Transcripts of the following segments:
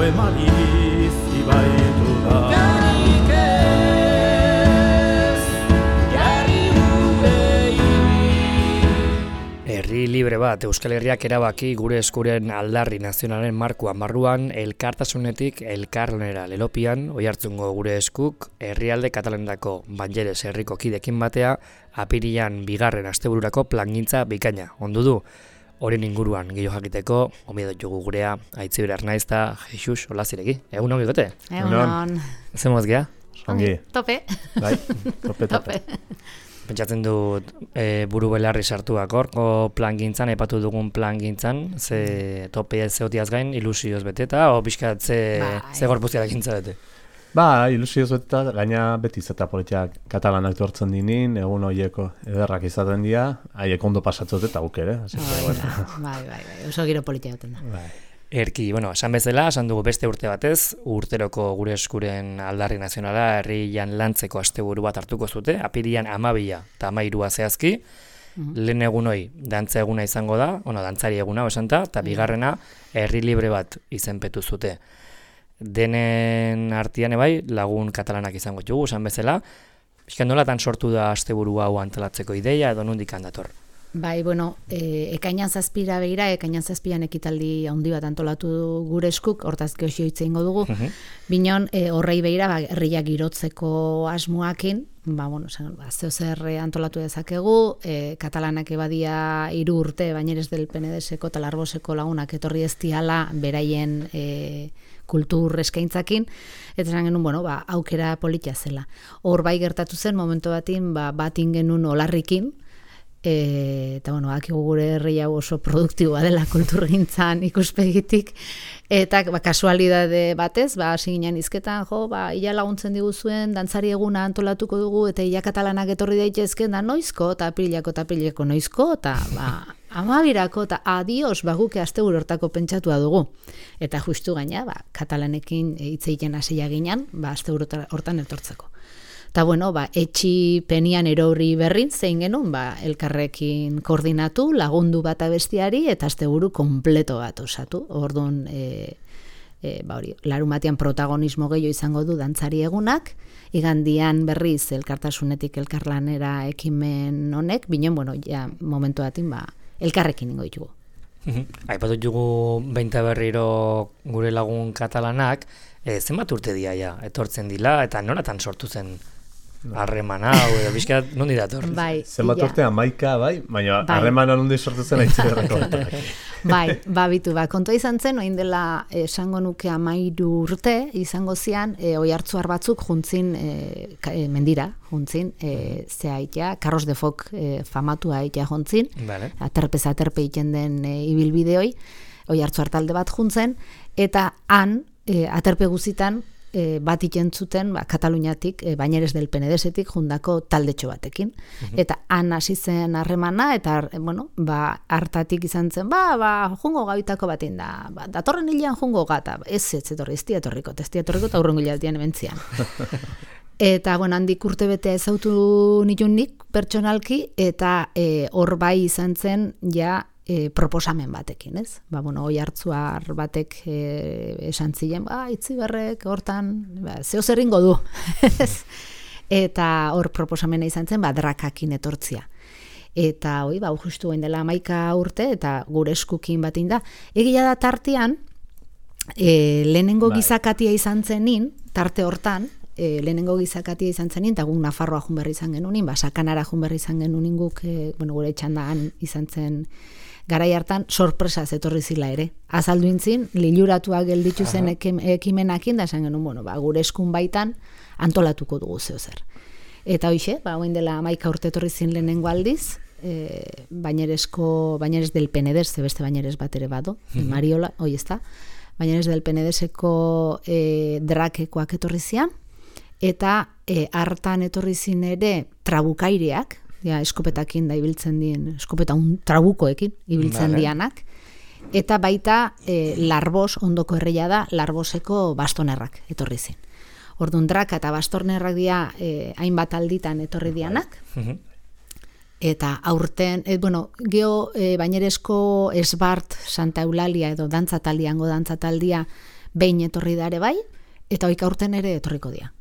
emari zibaitu da. Garik ez, gari gurei. Herri libre bat, Euskal Herriak erabaki gure eskuren aldarri nazionalen markuan barruan, elkartasunetik elkarlanera lelopian, Oiartzungo gure eskuk, herrialde katalandako Banyeres herriko kidekin batea, apirilan 2. astebururako plangintza bikaina. Ondu du, horien inguruan gehiago jakiteko, omi dugu gurea, Aitziber Arnaizta, Jesus Olaziregi. Egun hon bigote? Egun. Zemoz gea? Ongi. Tope. Bai, tope. Pentsatzen dut buru belarri sartuak horko plangintzan, epatu dugun plangintzan, ze tope zeotiaz gain ilusioz beteta, o pixkat ze gorpuztiak gintza bete? Ba, ilusioz beteta, gaina beti zeta politiak katalanak tortzen dinin, egun horieko ederrak izaten dira, haiek ondo pasatzot eta guk ere. Bai, oso giro politia duten da. Bai. Erki, esan bezala, esan dugu beste urte batez, urteroko gure eskuren aldarri nazionala herrian lantzeko asteburu bat hartuko zute, apirian 12 eta 13 zehazki, lehen egunoi dantza eguna izango da, dantzari eguna esanta, eta bigarrena herri libre bat izenpetu zute. Denen artean bai, lagun katalanak izango dugu, esan bezala, pixkan nolatan sortu da asteburu hau antolatzeko ideia edo nondik handator? Bai, ekainan 7 begira, ekainan 7 ekitaldi handi bat antolatu gure eskuk, hortaz geoxio hitz egingo dugu. Binon, horrei begira, herriak girotzeko asmoakin, zeo zer antolatu dezakegu, katalanak ebadia 3 urte, Banyeres del Penedeseko eta Larboseko lagunak etorri ez diala beraien kultur eskaintzakin, eta esan genuen, aukera politia zela. Hor bai gertatu zen, momentu batin, batin genuen Olarrikin, eta akigu gure herri hau oso produktiboa dela kulturgintzan ikuspegitik, eta kasualidade batez, hasi ginen izketan, ia laguntzen diguzuen, dantzari eguna antolatuko dugu, eta ia katalanak etorri daitezken, da noizko, eta aprileko noizko, eta 12 eta adios, guke asteburu hortako pentsatua dugu. Eta justu gaina, katalanekin hitz egiten hasia ginen, asteburu hortan etortzeko. Eta etxi penian erori berrin zein genuen, elkarrekin koordinatu, lagundu bat abestiari, eta asteburu kompleto bat osatu. Orduan, larunbatean protagonismo gehiago izango du dantzari egunak, igandian berriz elkartasunetik elkarlanera ekimen honek, binen, momentu batin, elkarrekin ingo ditugu. Aipatu dugu behinta berriro gure lagun katalanak, zenbat urte dia etortzen dila, eta nolatan sortu zen harremana, edo bizkat nondi dator? Zenbat urte 11, baina harremana nondi sortu zen Aitziberreko. Kontua izan zen, oin dela esango nuke 13 urte, izango zian, oihartzuar batzuk juntzin mendira, juntzin, Carros de Foc famatua aitea juntzin, aterpe egiten den ibilbideoi, oihartzuar talde bat juntzen, eta han, aterpe guzitan, bat ikentzuten Kataluniatik, Banyeres del Penedesetik jundako taldetxo batekin. Eta han hasi zen harremana, eta hartatik izan zen, jungo gabitako batin da, datorren hilean jungo gata, ez etorriko, eta urrengo hilean ementzian. Eta handik urte betea ezautu nitunik pertsonalki, eta hor bai izan zen, proposamen batekin, ez? Oihartzuar batek esan ziren, Aitziberrek hortan, zeo zerringo du. Eta hor proposamena izan zen, drakakin etortzia. Eta justu gain dela 11 urte, eta gure eskukin batin da. Egia da tartean, lehenengo gizakatia izan zenin, tarte hortan, lehenengo gizakatia izan zenin, eta guk Nafarroa junberri izan genunin, Sakanara junberri izan genunin guk, gure txandaan izan zen, garai hartan sorpresaz etorri zila ere. Azaldu intzin, liluratuak gelditu zen ekimenakin, da esan genuen, gure eskun baitan antolatuko dugu zeo zer. Eta hoxe, oin dela 11 urte etorri zin lehenengo aldiz, Banyeres del Penedes, beste Banyeres bat ere bado, Mariola, hoi ez da, Banyeres del Penedeseko drakekoak etorri zian, eta hartan etorri zin ere trabukaireak, eskopetakin da ibiltzen dien, eskopeta trabukoekin ibiltzen dianak, eta baita Larbos, ondoko herria da, Larboseko bastonerrak etorri zin. Orduan draka eta bastornerrak dira hainbat alditan etorri dianak, eta aurten, Banyeresko Esbart Santa Eulalia edo dantzataldia behin etorri da ere bai, eta oika urten ere etorriko dira.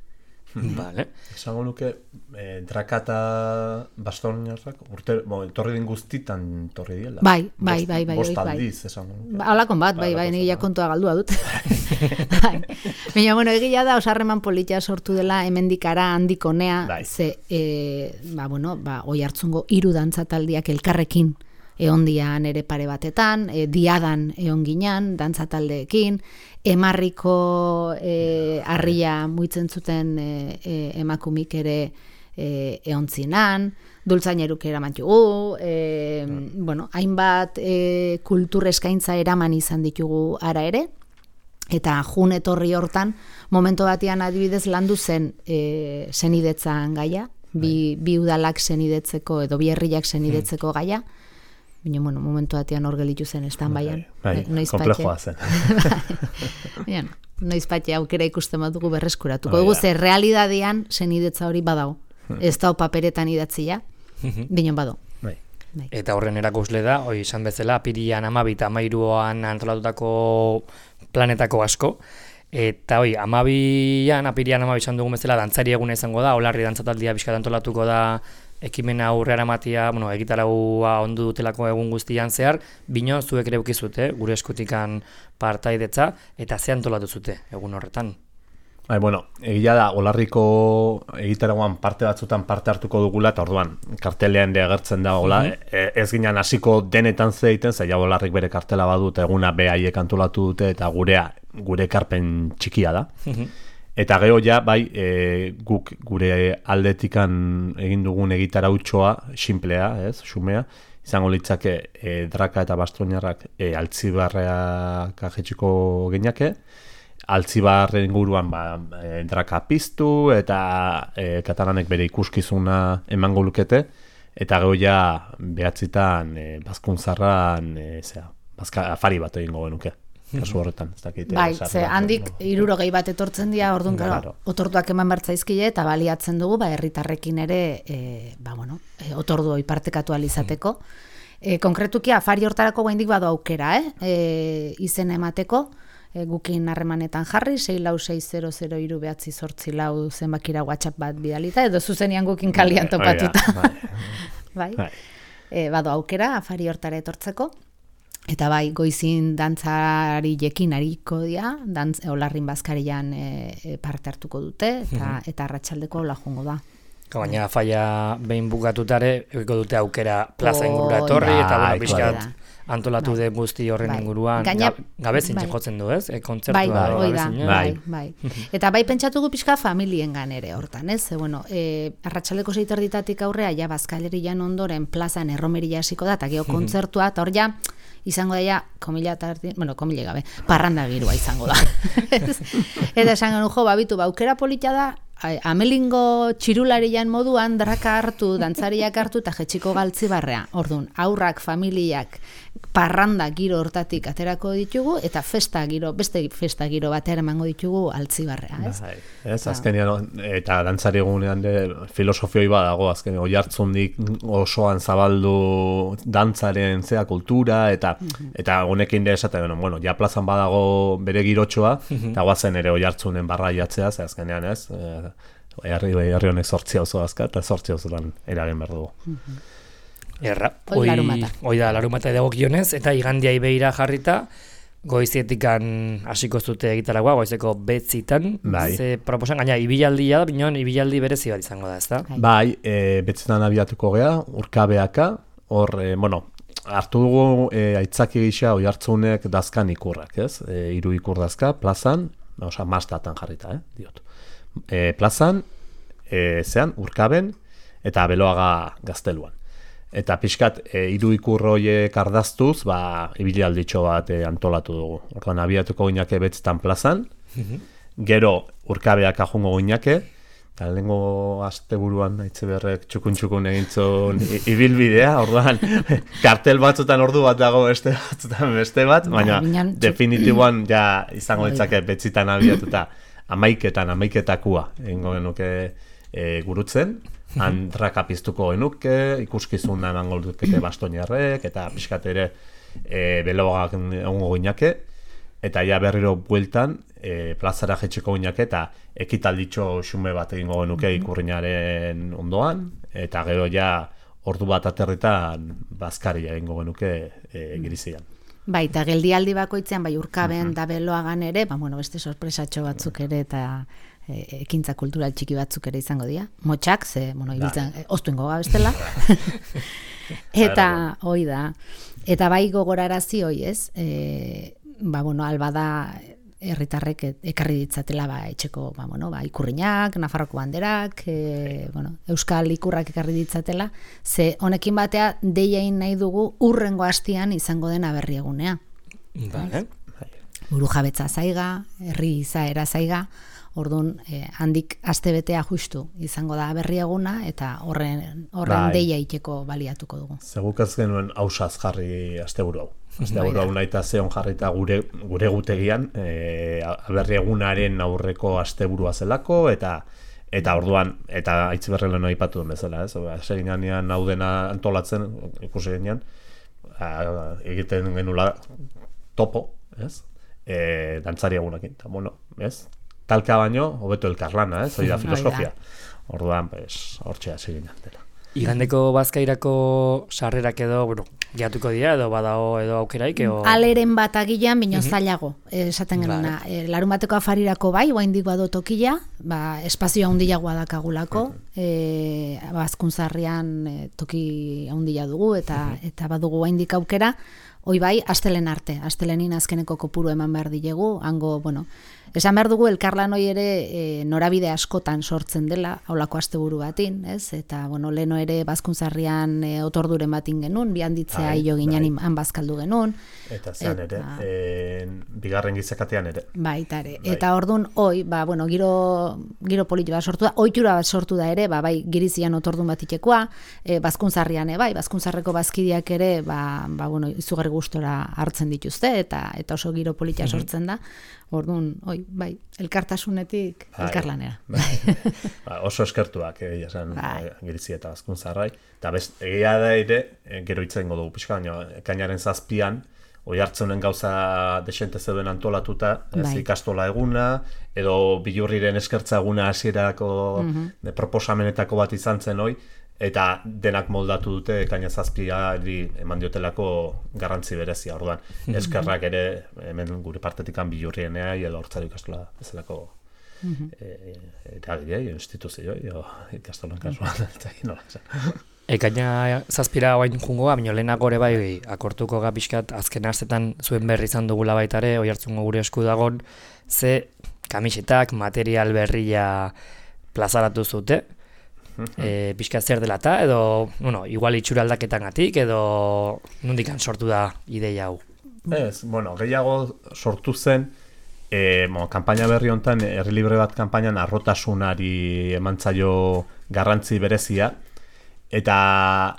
Vale. Esango nuke, draka eta bastonarrak etorri den guztitan etorri diela. Bai. Bost aldiz, esango nuke. Halakon bat, bai, nire kontua galdua dut. Baina, bueno, egia da, osarreman politia sortu dela hemendikara handik honea, ze, Oiartzungo 3 dantzataldiak elkarrekin eondian ere pare batetan, diadan eon ginean, dantzataldeekin, emarriko harria muitzen zuten emakumik ere eontzinan, dultzaineruk eraman jugu, hainbat kultur eskaintza eraman izan ditugu ara ere, eta jun etorri hortan, momentu batean adibidez landu zen senidetzan gaia, bi udalak senidetzeko edo bi herriak senidetzeko gaia, baina, momentu batean hor gelitu zen estanbaian. Komplejoa zen. Noizpatxe aukera ikusten badugu berreskuratuko. Dugu ze realidadean senidetza hori badago. Ez da paperetan idatzia, baina badago. Eta horren erakusle da, izan bezala, apirian 12 eta 13an antolatutako planetako asko. Eta apirian 12 izan dugun bezala, dantzari eguna izango da, Olarri dantzataldia bizkat antolatuko da, ekimena aurrera matia, egitaraua ondu dutelako egun guztian zehar, bino zuek ere ukizute, gure eskutikan partaidetza, eta ze antolatu zute egun horretan. Egia da, Olarriko egitaragoan parte batzutan parte hartuko dugula, eta orduan, kartelean ere agertzen da, ez ginen hasiko denetan zeiten, zaila Olarrik bere kartela badu, eta eguna behaiek antolatu dute, eta gure ekarpen txikia da. Eta gero guk gure aldetikan egin dugun egitarautxoa, sinplea, xumea, izango litzake draka eta bastoinarrak altzibarreak ajetxiko geniake, altzibarren inguruan draka piztu eta katalanek bere ikuskizuna emango lukete, eta gero behatzitan bazkuntzarran afari bat egingo genuke. Kasu horretan, ez dakit. Ze handik 60 bat etortzen dira, orduan, otorduak eman bertzaizkile, eta baliatzen dugu, herritarrekin ere, otordu hori partekatu alizateko. Konkretuki, afari hortarako guaindik badu aukera, izen emateko, gukin harremanetan jarri, 6460038 zenbakira WhatsApp bat bidalita, edo zuzenian gukin kalian topatuta. Badu aukera, afari hortara etortzeko. Eta goizin dantzari jekin hariko dira, Olarrin bazkarian parte hartuko dute, eta arratsaldeko lajongo da. Baina faia behin bukatutare, egiko dute aukera plaza ingurura etorri, eta pixkat antolatu de guzti horren inguruan, gabezin jotzen du, ez? Kontzertua gabezin. Bai. Eta pentsatugu pixka familiengan ere hortan, ez? Arratsaldeko 6:00 aurrea, bazkalerian ondoren plazan erromeria hasiko da, eta geho kontzertua, eta hor izango daia, komila gabe, parranda girua izango da. Eta esango nujo, babitu, aukera polita da, amelingo txirularian moduan draka hartu, dantzariak hartu, eta jetxiko galtzibarrea. Orduan, aurrak, familiak, parranda giro hortatik aterako ditugu, eta beste festa giro batera emango ditugu altzibarrea, ez? Ez, azkenean, eta dantzari egunean filosofioi badago, azkenean, Oiartzundik osoan zabaldu dantzaren kultura, eta honekin esaten, ja plazan badago bere girotxoa, eta guazen ere Oiartzunen barraiatzea, ze azkenean, ez? Herri honek 8 auzo azka, eta 8 auzotan eragen behar dugu. Hoi da larumata edagokionez, eta igandiai behira jarrita, goizietikan hasiko zute egitaragoa, goizeko 9:00, ze proposan, gaina ibilaldia da, bineon ibilaldi berezi bat izango da, ez da? 9:00 abiatuko gea, urkabeaka, hor, hartu dugu aitzaki gisa Oiartzunek dazkan ikurrak, ez? 3 ikur dazka, plazan, mastatan jarrita, diot. Plazan, urkaben, eta Beloaga Gazteluan. Eta pixkat, 3 ikur horiek ardaztuz, ibilaldietxo bat antolatu dugu. Orduan, abiatuko ginake betzetan plazan, gero urkabeak ajungo ginake, eta lehengo asteburuan Aitziberrek txukun egintzun ibilbidea, orduan, kartel batzutan ordu bat dago beste bat, baina definitiboan ja izango ditzake betzitan abiatuta, amaiketakua egingo genuke gurutzen, handraka piztuko genuke, ikuskizuna emango dukete bastoinarrek, eta pixkat ere Beloagak egongo ginake, eta ja berriro bueltan, plazara jetxeko ginak eta ekitalditxo xume bat egingo genuke ikurrinaren ondoan, eta gero ja ordu bat aterritan bazkaria egingo genuke Girizian. Bai, eta geldialdi bakoitzean, bai Urkaben da Beloagan ere, beste sorpresatxo batzuk ere, eta ekintza kultural txiki batzuk ere izango dira. Motxak, ibiltzen, oztuengo bestela. Eta, hoi da. Eta bai gogorarazi hoi, ez? Alba da herritarrek ekarri ditzatela etxeko, ikurriñak, Nafarroko banderak, euskal ikurrak ekarri ditzatela, ze honekin batea deiein nahi dugu urrengo hastian izango den aberri egunea. Buru jabetza zaiga, herri izaera zaiga, orduan handik astebetea justu izango da aberri eguna, eta horren deia iteko baliatuko dugu. Zeguk ez genuen hausaz jarri asteburu hau. Asteburu hau nahi eta zeon jarrita gure gutegian, aberri egunaren aurreko asteburua zelako, eta orduan, eta Aitziberri lehen aipatu duen bezala, ez? Seginan hau dena antolatzen, ikusi genean, egiten genula topo, ez? Dantzari egunekin, eta ez? Talka baino, hobeto elkarlana, ez? Hori da filosofia. Orduan, hortxea seginan dela. Igandeko bazkairako sarrerak edo, jatuko dira, edo badao edo aukeraik, aleren bat agilan, bino zailago, esaten genuna. Larun bateko afarirako bai, oaindik bado tokila, espazio handiagoa dakagulako, Bazkuntzarrian toki handia dugu, eta badugu oaindik aukera, hoi bai, astelen arte, astelenin azkeneko kopuru eman behar dilegu, hango, esan behar dugu elkarlan hoi ere norabide askotan sortzen dela, haulako asteburu batin, ez? Eta, leno ere Bazkuntzarrian otorduren batin genuen, bi handitzea hilo ginen han bazkaldu genuen. Eta zean ere, bigarren gizakatean ere. Baita ere. Eta orduan, hoi, giro politi bat sortu da, ohitura bat sortu da ere, Girizian otordun bat itekoa, Bazkuntzarrian Bazkuntzarreko bazkidiak ere, izugarri gustora hartzen dituzte, eta oso giro politia sortzen da. Orduan, elkartasunetik elkarlanera. Oso eskertuak, Girizia eta Bazkuntzarrai. Eta egia da ere, gero itzengo dugu pixka, ekainaren 7an, Oiartzunen gauza desente zeuden antolatuta, ikastola eguna, edo Bilurriren eskertza eguna hasierako proposamenetako bat izan zen hoi, eta denak moldatu dute ekaina 7ari eman diotelako garrantzi berezia. Orduan, eskerrak ere hemen gure partetikan Bilurrienea edo Hortzari ikastola bezalako eragilei, instituzioi, ikastolan kasuan, nola esan. Ekaina 7ra oain jungoa, baina lehenago ere bai akortuko gapiskat azken astetan zuen berri izan dugula baitare, Oiartzungo gure esku dagon, ze kamisetak, material berria plazaratu zute, pixka zer dela eta, edo, igual itxura aldaketangatik, edo nondikan sortu da ideia hau? Ez, gehiago sortu zen, kanpaina berri honetan, herri libre bat kanpainan arrotasunari emantzaio garrantzi berezia, eta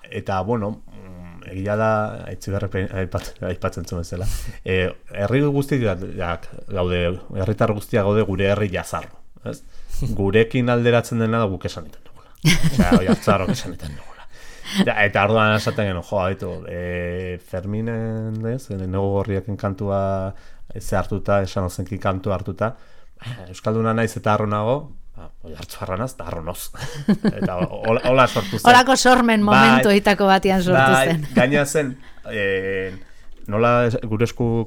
egia da, aipatzen zuen zela, herri guztiak gaude, herritar guztiak gaude gure herri jazarro, ez? Gurekin alderatzen dena da guk esan iten dugula. Oiartzarrok esan iten dugula. Eta orduan esaten genuen, Ferminen, Nego Gorriaken kantua ze hartuta, esan ozenki kantua hartuta, Euskalduna naiz eta harro nago, Oiartzarranaz eta harronoz. Eta hola sortu zen. Holako sormen momentu eitako batian sortu zen. Gaina zen, nola gure esku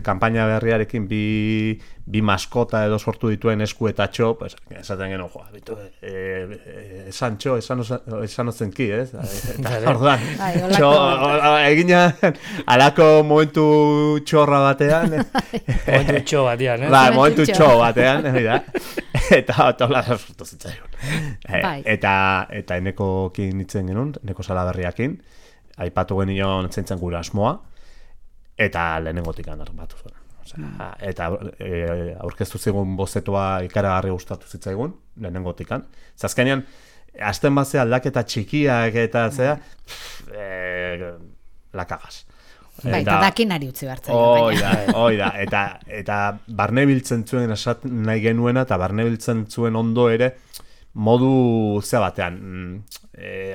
kanpaina berriarekin bi maskota edo sortu dituen esku eta txo, esaten genuen, esan txo, esan ozenki, ez? Orduan, egina alako momentu txorra batean. Momentu txo batean, ez? Momentu txo batean, eta hola sortu zitzaigun. Eta enekokin nitzen genuen, Eneko Salaberriakin, aipatu genion zentzen gure asmoa, eta lehenengotikan armatu zuen. Eta aurkeztu zigun bozetoa ikaragarri gustatu zitzaigun, lehenengotikan. Azkenean, azten bazea aldaketa txikiak eta zea, lakagaz. Eta dakinari utzi bartzen. Hoi da, eta barne biltzen zuen nahi genuena, eta barne biltzen zuen ondo ere, modu zea batean,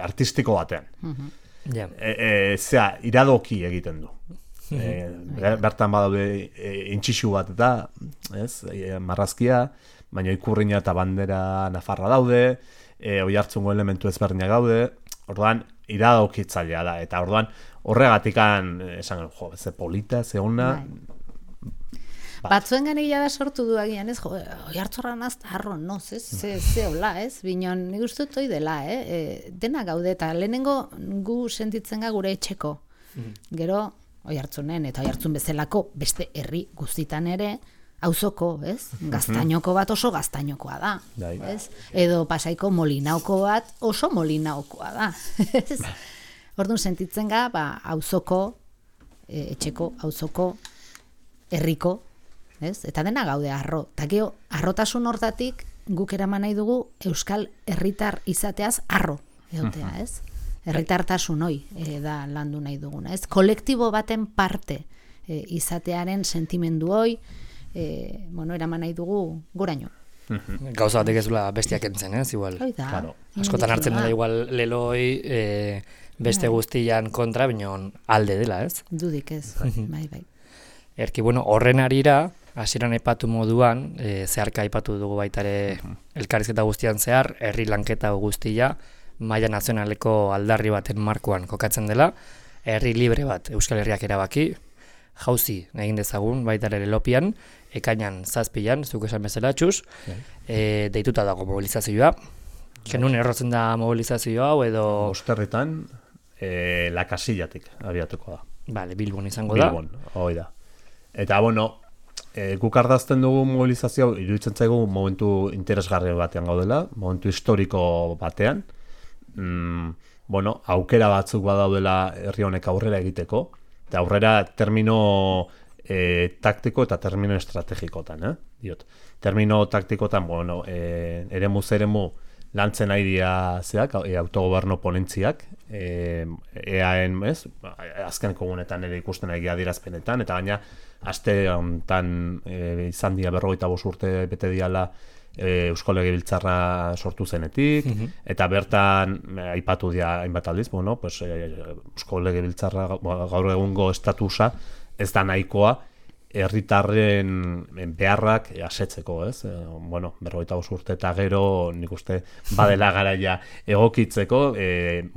artistiko batean. Zea, iradoki egiten du. Bertan badaude intxixu bat da, ez? Marrazkia, baina ikurrina eta bandera nafarra daude, oihartzungo elementu ezberdinak daude, orduan iradokitzailea da, eta orduan horregatikan esan, ze polita, ze ona. Batzuen ganek jada sortu du agian, ez? Oihartzunra nazta harro, no, ze hola, ez? Binon, nik uste dut hoi dela, dena gaude, eta lehenengo gu sentitzen ga gure etxeko. Gero, Oihartzunen eta Oihartzun bezalako beste herri guztitan ere, auzoko, ez? Gaztainoko bat oso gaztainokoa da, ez? Edo Pasaiko Molinauko bat oso Molinaukoa da, ez? Orduan sentitzen ga, auzoko, etxeko, auzoko, herriko, ez? Eta dena gaude harro. Eta gero, harrotasun hortatik guk eraman nahi dugu euskal herritar izateaz harro egotea, ez? Herritartasun hoi da landu nahi duguna, ez? Kolektibo baten parte izatearen sentimendu hoi, eraman nahi dugu goraino. Gauza batek ez dula bestiak entzen, ez? Igual. Askotan hartzen dela igual leloi beste guztian kontra, binon alde dela, ez? Dudik ez, bai. Erki, horren arira, hasieran aipatu moduan, zeharka aipatu dugu baitare elkarrizketa guztian zehar, herri lanketa guztia, maila nazionaleko aldarri baten markoan kokatzen dela, herri libre bat Euskal Herriak erabaki, jauzi egin dezagun baita ere Lelopian, ekainan 7an, zuk esan bezala txuz, deituta dago mobilizazioa. Genuen errotzen da mobilizazio hau edo... Osterritan, La Casillatik abiatuko da. Vale, Bilbon izango da. Bilbon, hoi da. Eta, guk ardazten dugu mobilizazio, iruditzen zaigu momentu interesgarri batean gaudela, momentu historiko batean, aukera batzuk badaudela herri honek aurrera egiteko, eta aurrera termino taktiko eta termino estrategikotan, diot. Termino taktikotan, eremu lantzen ari dira zeak, autogoberno ponentziak, EAen, azken komunetan ere ikusten egia dirazpenetan, eta gaina, aste honetan izan dira 45 urte bete diala Eusko Legebiltzarra sortu zenetik, eta bertan aipatu dira hainbat aldiz, Eusko Legebiltzarra gaur egungo estatusa ez da nahikoa herritarren beharrak asetzeko, ez? 45 urte eta gero nik uste badela garaia egokitzeko,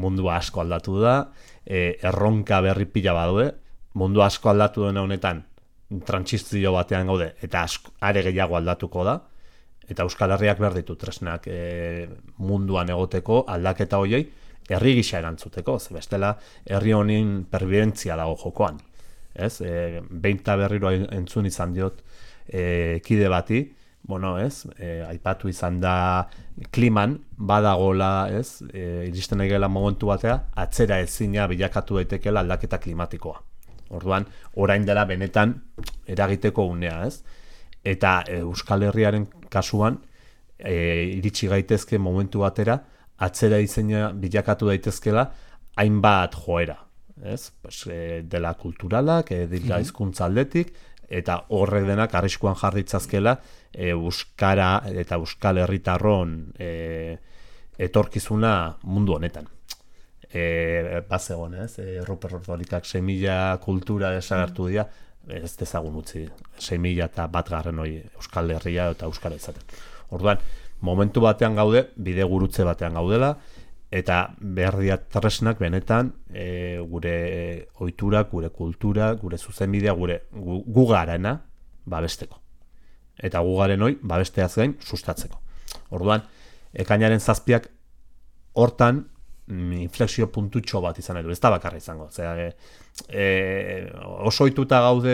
mundua asko aldatu da, erronka berri pila badaude, mundu asko aldatu dena honetan trantsizio batean gaude, eta are gehiago aldatuko da, eta Euskal Herriak behar ditu tresnak munduan egoteko aldaketa hoiei herri gisa erantzuteko, ze bestela herri honin perbidentzia dago jokoan. Ez? Behinta berriro entzun izan diot kide bati, aipatu izan da kliman badagola, ez? Iristen egela momentu batea, atzera ezina bilakatu daitekela aldaketa klimatikoa. Orduan, orain dela benetan eragiteko unea, ez? Eta Euskal Herriaren kasuan iritsi gaitezke momentu batera atzera izena bilakatu daitezkela hainbat joera, ez? Dela kulturalak, dela hizkuntza aldetik, eta horrek denak arriskuan jarritzazkela euskara eta euskal herritarron etorkizuna mundu honetan. Bazegon, ez? Ruper Ordolikak semilla kultura desagertu dira, ez dezagun utzi, 6.000 eta 1 hori Euskal Herria eta Euskara izaten. Orduan, momentu batean gaude, bide gurutze batean gaudela, eta behar dira tresnak benetan gure ohiturak, gure kultura, gure zuzenbidea, gu garena babesteko. Eta gu garen hori babesteaz gain sustatzeko. Orduan, ekainaren 7ak hortan inflexio puntutxo bat izan edo, ez da bakarra izango. Oso ohituta gaude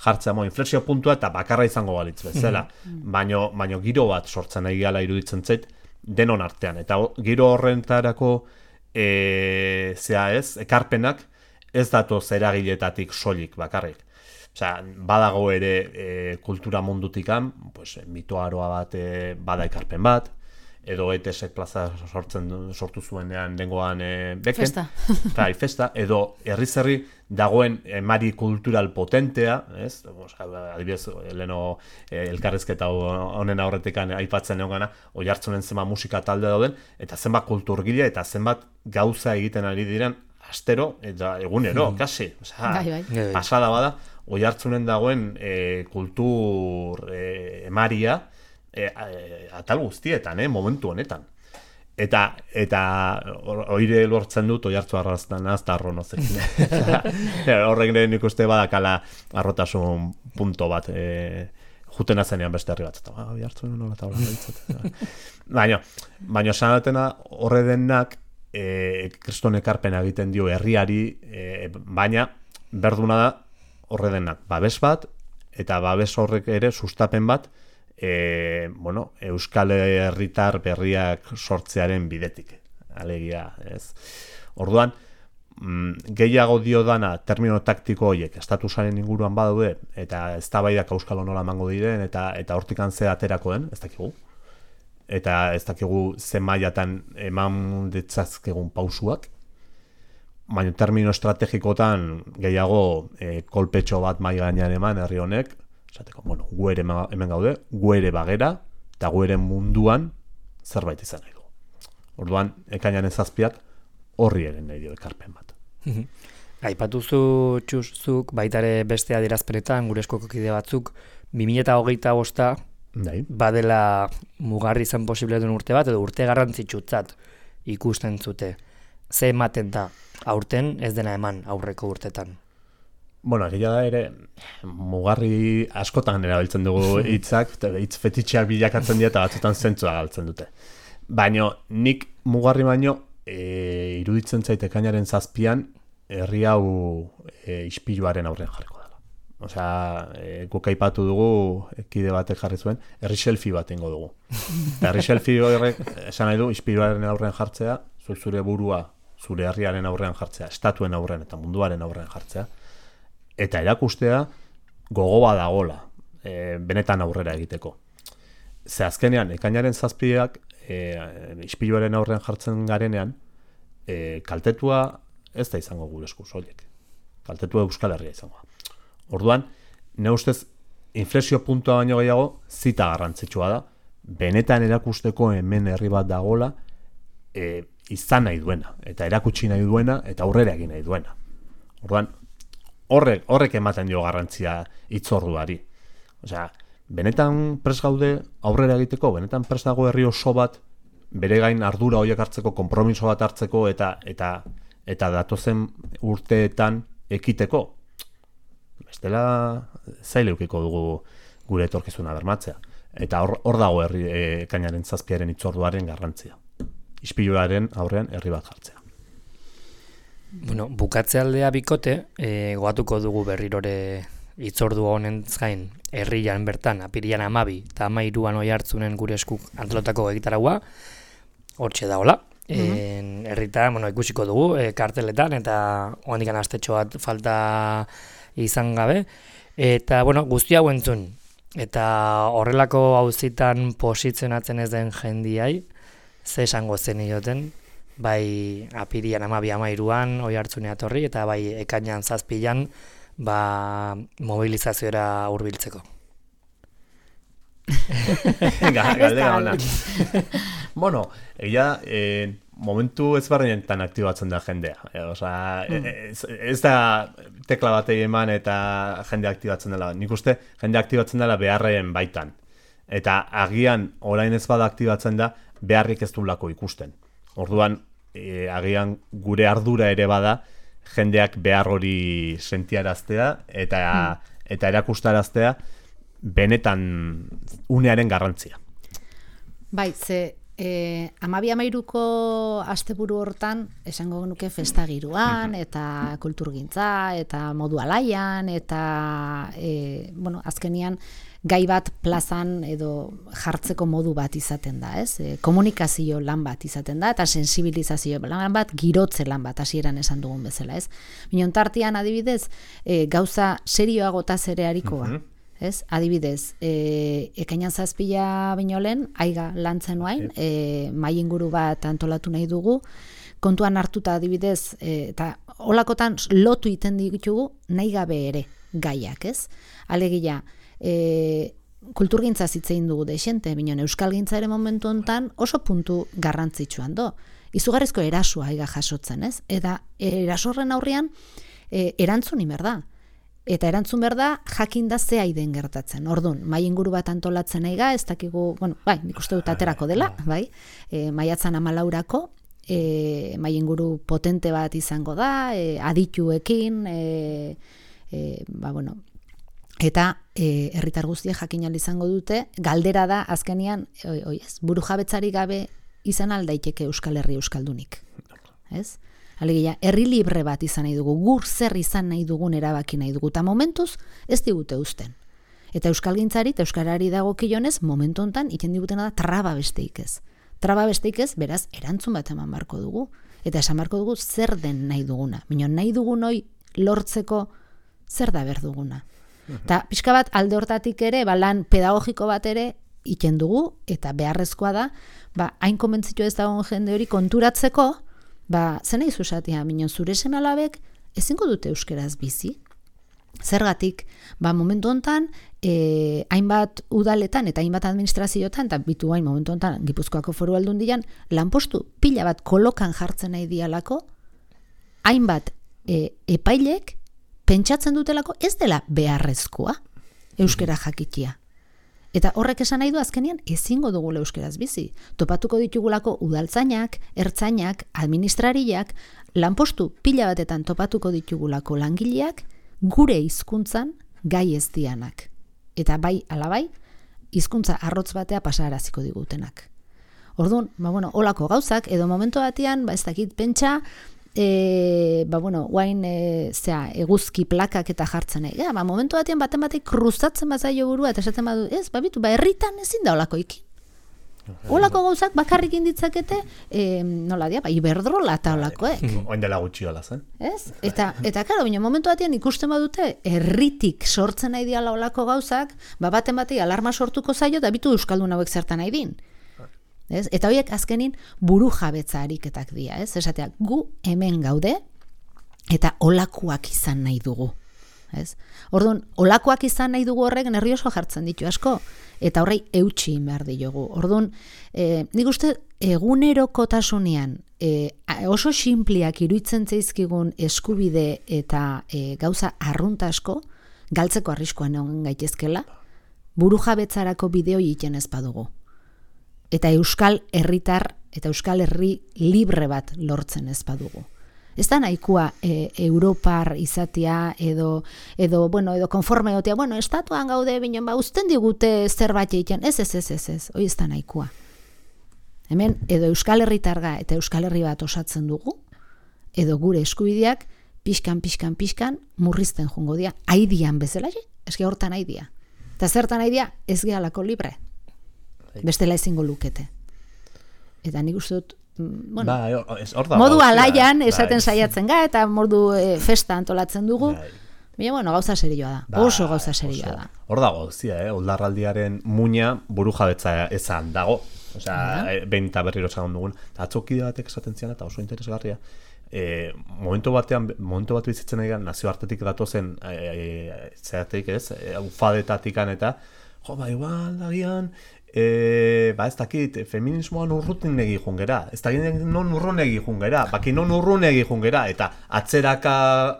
jartzea inflexio puntua eta bakarra izango balitz bezala, baino giro bat sortzen nahi gala iruditzen zait denon artean, eta giro horrentarako ekarpenak ez datoz eragiletatik soilik bakarrik. Badago ere kultura mundutikan, mitoaroa bat bada ekarpen bat, edo ETS-ek plaza sortu zuenean dengoan beken. Festa. Edo herri dagoen emari kultural potentea, ez? Adibidez, leno elkarrizketa honen aurretekan aipatzen egon gana, Oihartzunen zenbat musika talde dauden, eta zenbat kulturgile, eta zenbat gauza egiten ari diren astero, eta egunero, kasi. Osea, Bai. pasada bada, Oiartzunen dagoen kultur emaria atal guztietan, momentu honetan. Eta oire lortzen dut Oiartzu arraztan azta arronozekin. Horrek nik uste badakala arrotasun punto bat, juten azenean beste herri bat. Oiartzun nola eta hola ditzat. Baina sanatena horre denak kriston ekarpena egiten dio herriari, baina berduna da horre denak babes bat, eta babes horrek ere sustapen bat, Euskal Herritar berriak sortzearen bidetik. Alegia, ez? Orduan, gehiago dio dana termino taktiko horiek estatusaren inguruan badaude, eta eztabaidak auskalo nola emango diren, eta hortikan ze aterako den, ez dakigu. Eta ez dakigu ze mailatan eman ditzazkegun pausuak, baina termino estrategikotan gehiago kolpetxo bat mai gainean eman herri honek, esateko, gu ere hemen gaude, gu ere bagera, eta gu ere munduan zerbait izan nahi du. Orduan, ekainaren 7ak horri ere nahi dio ekarpen bat. Aipatuzu txuzuk baitare beste adierazpenetan, gure eskoko kide batzuk, 2025 badela mugarri izan posible duen urte bat, edo urte garrantzitsutzat ikusten zute. Ze ematen da, aurten ez dena eman aurreko urtetan? Egia da ere, mugarri askotan erabiltzen dugu hitzak, hitz fetitxeak bilakatzen dira eta batzutan zentzua galtzen dute. Baina nik mugarri baino, iruditzen zait ekainaren 7an, herri hau ispiluaren aurrean jarriko dela. Osea, guk aipatu dugu, kide batek jarri zuen, herri selfie bat ingo dugu. Eta herri selfie horrek, esan nahi du, ispiluaren aurrean jartzea, zure burua, zure herriaren aurrean jartzea, estatuen aurrean eta munduaren aurrean jartzea, eta erakustea gogo badagola, benetan aurrera egiteko. Ze azkenean, ekainaren 7ak, ispiluaren aurrean jartzen garenean, kaltetua ez da izango gure esku soilik. Kaltetua Euskal Herria izango. Orduan, ne ustez, inflexio puntua baino gehiago, zita garrantzitsua da, benetan erakusteko hemen herri bat dagola, izan nahi duena, eta erakutsi nahi duena, eta aurrera egin nahi duena. Orduan, horrek ematen dio garrantzia hitzorduari. Osea, benetan prest gaude aurrera egiteko, benetan prest dago herri oso bat, bere gain ardura horiek hartzeko, konpromiso bat hartzeko, eta datozen urteetan ekiteko. Bestela zaila eukiko dugu gure etorkizuna bermatzea. Eta hor dago ekainaren 7aren hitzorduaren garrantzia. Ispiluaren aurrean herri bat jartzea. Bukatze aldea bikote, goatuko dugu berrirore hitzordu honen gain herrian bertan, apirian 12 eta 13an Oiartzunen gure eskuk antolotako egitaragua, hortxe dagoela. Herrita, ikusiko dugu, karteletan, eta oandikan astetxo bat falta izan gabe. Eta, guzti hau entzun. Eta horrelako auzitan posizionatzen ez den jendiai, ze esango zen ioten, bai apirian 12-13an Oiartzunea torri, eta bai ekainan 7an mobilizazioera hurbiltzeko. Galdera ona. Momentu ezberdinetan aktibatzen da jendea. Ez da tekla batei eman eta jende aktibatzen dela. Nik uste jende aktibatzen dela beharren baitan. Eta agian orain ez bada aktibatzen da, beharrik ez duelako ikusten. Orduan, agian gure ardura ere bada, jendeak behar hori sentiaraztea eta erakustaraztea benetan unearen garrantzia. Bai, ze 12-13ko asteburu hortan esango nuke festa giroan eta kulturgintza eta modu alaian eta azkenian gai bat plazan edo jartzeko modu bat izaten da, ez? Komunikazio lan bat izaten da eta sensibilizazio lan bat, girotze lan bat hasieran esan dugun bezala, ez? Minontartian adibidez, gauza serioagotaz ere arikoa. Ez? Adibidez, ekainan 7 baino lehen, aiga lantzen nuain, mai inguru bat antolatu nahi dugu, kontuan hartuta adibidez, eta holakotan lotu iten ditugu nahi gabe ere gaiak, ez? Alegia, kulturgintza zitzein dugu deixente, binon euskalgintza ere momentu hontan oso puntu garrantzitsuan do. izugarrizko erasua aiga jasotzen, ez? Eta erasorren aurrean erantzun imer da. Eta erantzun behar da, jakin da ze aiden gertatzen. Orduan, mai inguru bat antolatzen aiga, ez dakigu, bueno, bai, nik uste dut aterako dela, bai, maiatzan 14-ako, mai inguru potente bat izango da, adituekin, ba, bueno, eta herritar guztiek jakin ahal izango dute, galdera da, azkenean, burujabetzari gabe izan aldaiteke Euskal Herri euskaldunik, ez? Alegia, herri libre bat izan nahi dugu, gur zer izan nahi dugun erabaki nahi dugu, eta momentuz ez digute uzten. Eta euskalgintzari eta euskarari dagokionez, momentu hontan iten digutena da traba besteik ez. Traba besteik ez, beraz, erantzun bat eman barko dugu. Eta esan barko dugu zer den nahi duguna. Minon nahi dugun hoi lortzeko zer da behar duguna. Eta pixka bat alde hortatik ere, lan pedagogiko bat ere iten dugu, eta beharrezkoa da, hain komentzitu ez dagoen jende hori konturatzeko, zen nahi zuzatia, minon zure seme-alabek ezingo dute euskeraz bizi. Zergatik, momentu hontan, hainbat udaletan eta hainbat administrazioetan, eta bitu hain momentu hontan Gipuzkoako Foru Aldundian, lanpostu pila bat kolokan jartzen nahi dialako, hainbat epailek pentsatzen dutelako ez dela beharrezkoa euskera jakitia. Eta horrek esan nahi du azkenean ezingo dugula euskeraz bizi. Topatuko ditugulako udaltzainak, ertzainak, administrariak, lanpostu pila batetan topatuko ditugulako langileak gure hizkuntzan gai ez dianak. Eta bai alabai, hizkuntza arrotz batea pasaraziko digutenak. Orduan, holako gauzak, edo momentu batean, ez dakit pentsa, guain eguzki plakak eta jartzen momentu batean baten batek kruzatzen bazaio burua eta esaten badu, herritan ezin da olako ikin. Olako gauzak bakarrik inditzakete, nola dia, iberdrola eta olakoek. Oin dela gutxi hola zen. Ez? Eta karo, momentu batean ikusten badute, herritik sortzen nahi diala olako gauzak, baten batei alarma sortuko zaio, eta bitu euskaldun hauek zertan nahi din. Ez? Eta horiek azkenin buru jabetza ariketak dira, ez? Esatea, gu hemen gaude eta olakoak izan nahi dugu. Ez? Orduan, olakoak izan nahi dugu horrek nervioso jartzen ditu asko, eta horrei eutsi behar diogu. Orduan, nik uste egunerokotasunean oso sinpliak iruditzen zaizkigun eskubide eta gauza arrunta asko, galtzeko arriskoan egon gaitezkela, buru jabetzarako bideo egiten ez badugu. Eta euskal herritar eta euskal herri libre bat lortzen ez badugu. Ez da nahikoa Europar izatea edo konforme egotea, estatuan gaude binen, uzten digute zerbait egiten, ez, hori ez da nahikoa. Hemen, edo euskal herritarga eta euskal herri bat osatzen dugu, edo gure eskubideak pixkan murrizten jungo dira, aidian bezala, eske hortan aidia. Eta zertan aidia, ez gehalako libre. Bestela ezingo lukete. Eta nik uste dut, modu alaian esaten saiatzen ga, eta modu festa antolatzen dugu, gauza serioa da, oso gauza serioa da. Hor dago, oldarraldiaren muina buru jabetza ezan dago, behin eta berriro esan dugun, eta atzokide batek esaten zian, eta oso interesgarria, momentu bat bizitzen egan, nazioartetik datozen, zeratik ez, ufadetatikan eta, igual, agian, ez dakit, feminismoan urrutin egi jungera, ez dakit non urrun egi jungera, baki non urrun egi jungera, eta atzeraka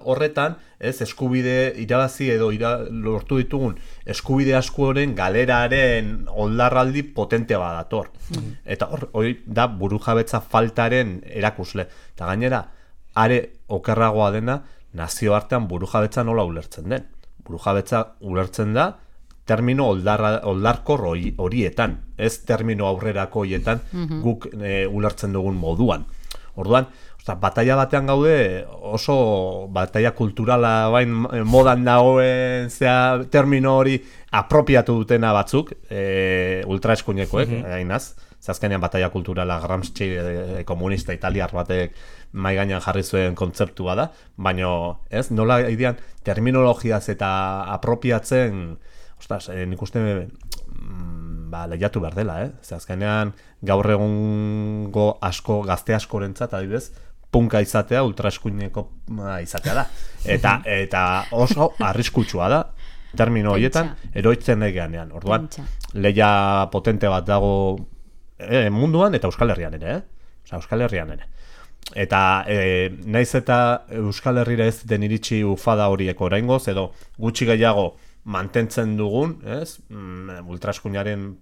horretan, eskubide irabazi edo lortu ditugun eskubide askoren galeraren oldarraldi potentea badator. Eta hori da burujabetza faltaren erakusle. Eta gainera, are okerragoa dena, nazioartean burujabetza nola ulertzen den. Burujabetza ulertzen da, termino oldarkor horietan, ez termino aurrerako horietan guk ulertzen dugun moduan. Orduan, bataia batean gaude, oso bataia kulturala bain modan dagoen termino hori apropiatu dutena batzuk, ultraeskuinekoek, hainaz, azkenean bataia kulturala Gramsci komunista italiar batek mai gainean jarri zuen kontzeptua da, baina ez, nola idean terminologiaz eta apropiatzen nik uste lehiatu behar dela, azkenean gaur egungo gazte askorentzat adibidez, punka izatea ultraeskuineko izatea da. Eta oso arriskutsua da, termino horietan, eroitzen egeanean. Orduan, lehia potente bat dago munduan eta Euskal Herrian ere, Osea, Euskal Herrian ere. Eta naiz eta Euskal Herrira ez den iritsi ufada horiek oraingoz, edo gutxi gehiago mantentzen dugun, ez? Ultraeskuinaren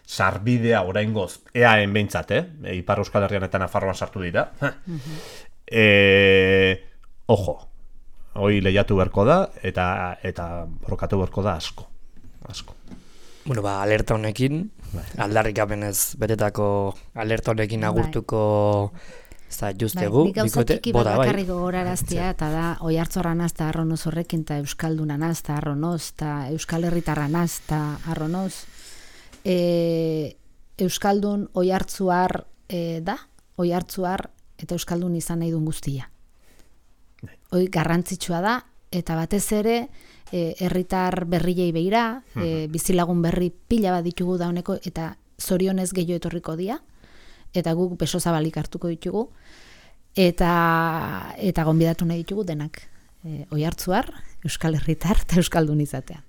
sarbidea oraingoz EAen behintzat, Ipar Euskal Herrian eta Nafarroan sartu dira. Ojo, hoi lehiatu beharko da, eta borrokatu beharko da asko. Bueno, alerta honekin, aldarrikapenez betetako alerta honekin agurtuko justegu. Nik gauza txiki bat bakarrik gogoraraztea, eta da, Oiartzorranaz eta Arronoz horrekin, eta Euskaldunanaz eta Arronoz, eta Euskal Herritarranaz eta Arronoz. Euskaldun Oiartzuar da, Oiartzuar eta Euskaldun izan nahi duen guztia. Hoi garrantzitsua da, eta batez ere, herritar berriei begira, bizilagun berri pila bat ditugu dauneko, eta zorionez gehiago etorriko dira, eta guk beso zabalik hartuko ditugu, eta gonbidatu nahi ditugu denak. Oiartzuar, Euskal Herritar eta Euskaldun izatea.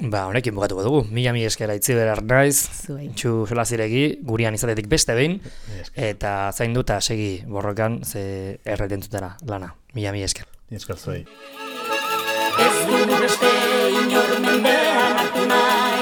Honekin bukatuko dugu. Mila esker Aitziber Arnaiz, Itxu Solaziregi, gurean izatetik beste behin, eta zainduta segi borrokan ze erretentutera lana. Mila esker. Esker zuei. Ez dugu beste inor mendean hartu nahi.